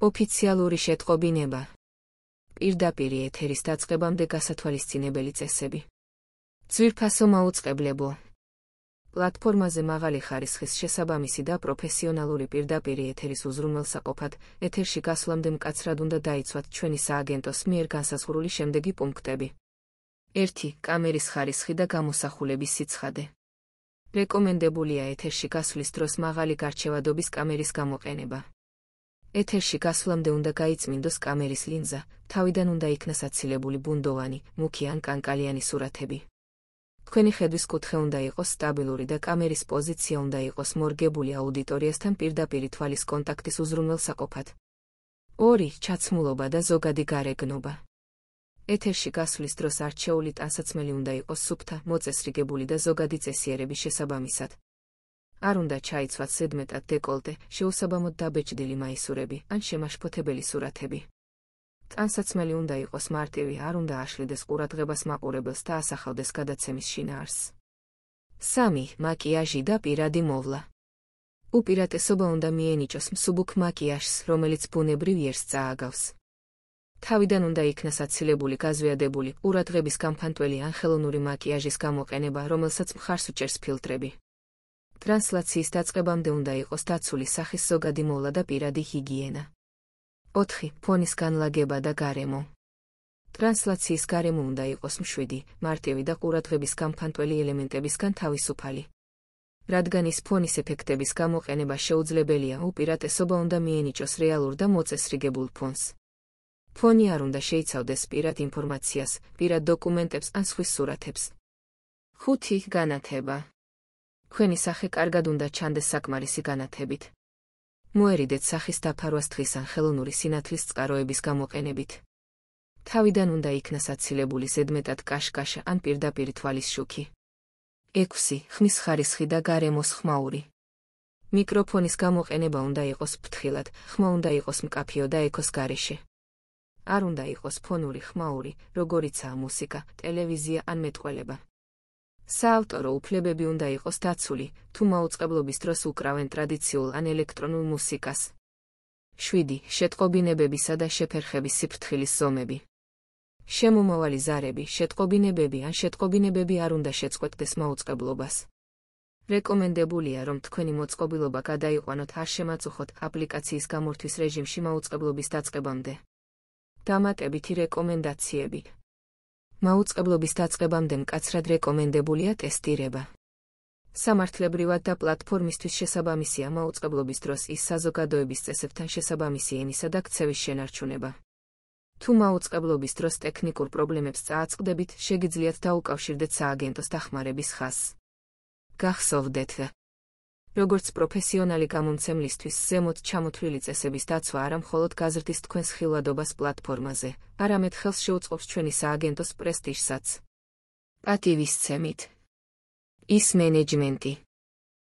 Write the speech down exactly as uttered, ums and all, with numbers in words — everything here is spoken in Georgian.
ოფიციალური შეტყობინება. პირდაპირი ეთერის დაწყებამდე გასათვალისწინებელი წესები. ძვირფასო მაუწყებლებო. პლატფორმაზე მაღალი ხარისხის შესაბამისი და პროფესიონალური პირდაპირი ეთერის უზრუნველსაყოფად, ეთერში გასვლამდე მკაცრად უნდა დაიცვათ ჩვენი სააგენტოს მიერ განსაზღვრული შემდეგი პუნქტები. ერთი. კამერის ხარისხი და გამოსახულების სიცხადე. რეკომენდებულია ეთერში გასვლის დროს მაღალი გარჩევადობის კამერის გამოყენება. ეთერში გასვლამდე უნდა გაიწმინდოს კამერის ლინზა, თავიდან უნდა იქნას აცილებული ბუნდოვანი, მუქი ან კანკალიანი სურათები. თქვენი ხედვის კუთხე უნდა იყოს სტაბილური და კამერის პოზიცია უნდა იყოს მორგებული აუდიტორიასთან პირდაპირი თვალის კონტაქტის უზრუნველსაყოფად. ორი. ჩაცმულობა და ზოგადი გარეგნობა. ეთერში გასვლის დროს არჩეული ტანსაცმელი უნდა იყოს სუფთა, მოწესრიგებული და ზოგადი წესიერების შესაბამისად. არ უნდა ჩაიცვათ ზედმეტად დეკოლტე, შეუსაბამოდ დაბეჭდილი მაისურები ან შემაშფოთებელი სურათები. ტანსაცმელი უნდა იყოს მარტივი, არ უნდა აშლიდეს ყურადღებას მაყურებელს და ასახავდეს გადაცემის შინაარსს. სამი. მაკიაჟი და პირადი მოვლა. უპირატესობა უნდა მიენიჭოს მსუბუქ მაკიაჟს, რომელიც ბუნებრივ იერს წააგავს. თავიდან უნდა იქნას აცილებული გაზვიადებული, ყურადღების გამფანტველი ან ხელოვნური მაკიაჟის გამოყენება, რომელსაც მხარს უჭერს ფილტრები. ტრანსლაციის დაწყებამდე უნდა იყოს დაცული სახის ზოგადი მოვლა და პირადი ჰიგიენა. ოთხი. ფონის განლაგება და გარემო. ტრანსლაციის გარემო უნდა იყოს მშვიდი, მარტივი და ყურადღების გამფანტველი ელემენტებისგან თავისუფალი. რადგან ის ფონის ეფექტების გამოყენება შეუძლებელია, უპირატესობა უნდა მიენიჭოს რეალურ და მოწესრიგებულ ფონს. ფონი არ უნდა შეიცავდეს პირად ინფორმაციას, პირად დოკუმენტებს ან სხვის სურათებს. ხუთი. განათება. თქვენი სახე კარგად უნდა ჩანდეს საკმარისი განათებით. მოერიდეთ სახის დაფარვას თხის ან ხელოვნური სინათლის წყაროების გამოყენებით. თავიდან უნდა იქნას აცილებული ზედმეტად კაშკაშა ან პირდაპირი თვალის შუქი. ექვსი. ხმის ხარისხი და გარემოს ხმაური. მიკროფონის გამოყენება უნდა იყოს ფრთხილად, ხმა უნდა იყოს მკაფიო და ექოს გარეშე. არ უნდა იყოს ფონური ხმაური, როგორიცაა მუსიკა, ტელევიზია ან მეტყველება. საავტორო უფლებები უნდა იყოს დაცული, თუ მაუწყებლობის დროს უკრავენ ტრადიციულ ან ელექტრონულ მუსიკას. შვიდი. შეტყობინებებისა და შეფერხების სიფრთხილის ზომები. შემომავალი ზარები, შეტყობინებები ან შეტყობინებები არ უნდა შეწყვეტდეს მაუწყებლობას. რეკომენდებულია, რომ თქვენი მოწყობილობა გადაიყვანოთ არ შემაწუხოთ აპლიკაციის გამორთვის რეჟიმში მაუწყებლობის დაწყებამდე. დამატებითი რეკომენდაციები. მაუწყებლობის დაწყებამდე მკაცრად რეკომენდებულია ტესტირება. სამართლებრივად და პლატფორმისთვის შესაბამისია მაუწყებლობის დროს ის საზოგადოების წესებთან შესაბამისი ენისა და ქცევის შენარჩუნება. თუ მაუწყებლობის დროს ტექნიკურ პრობლემებს წააწყდებით, შეგიძლიათ დაუკავშირდეთ სააგენტოს დახმარების ხაზს. გახსოვდეთ, როგორც პროფესიონალი გამომცემლისთვის ზემოთ ჩამოთვლილი წესების დაცვა არა მხოლოდ გაზრდის თქვენს ხილვადობას პლატფორმაზე, არამედ ხელს შეუწყობს ჩვენი სააგენტოს პრესტიჟსაც. პატივისცემით. ის მენეჯმენტი.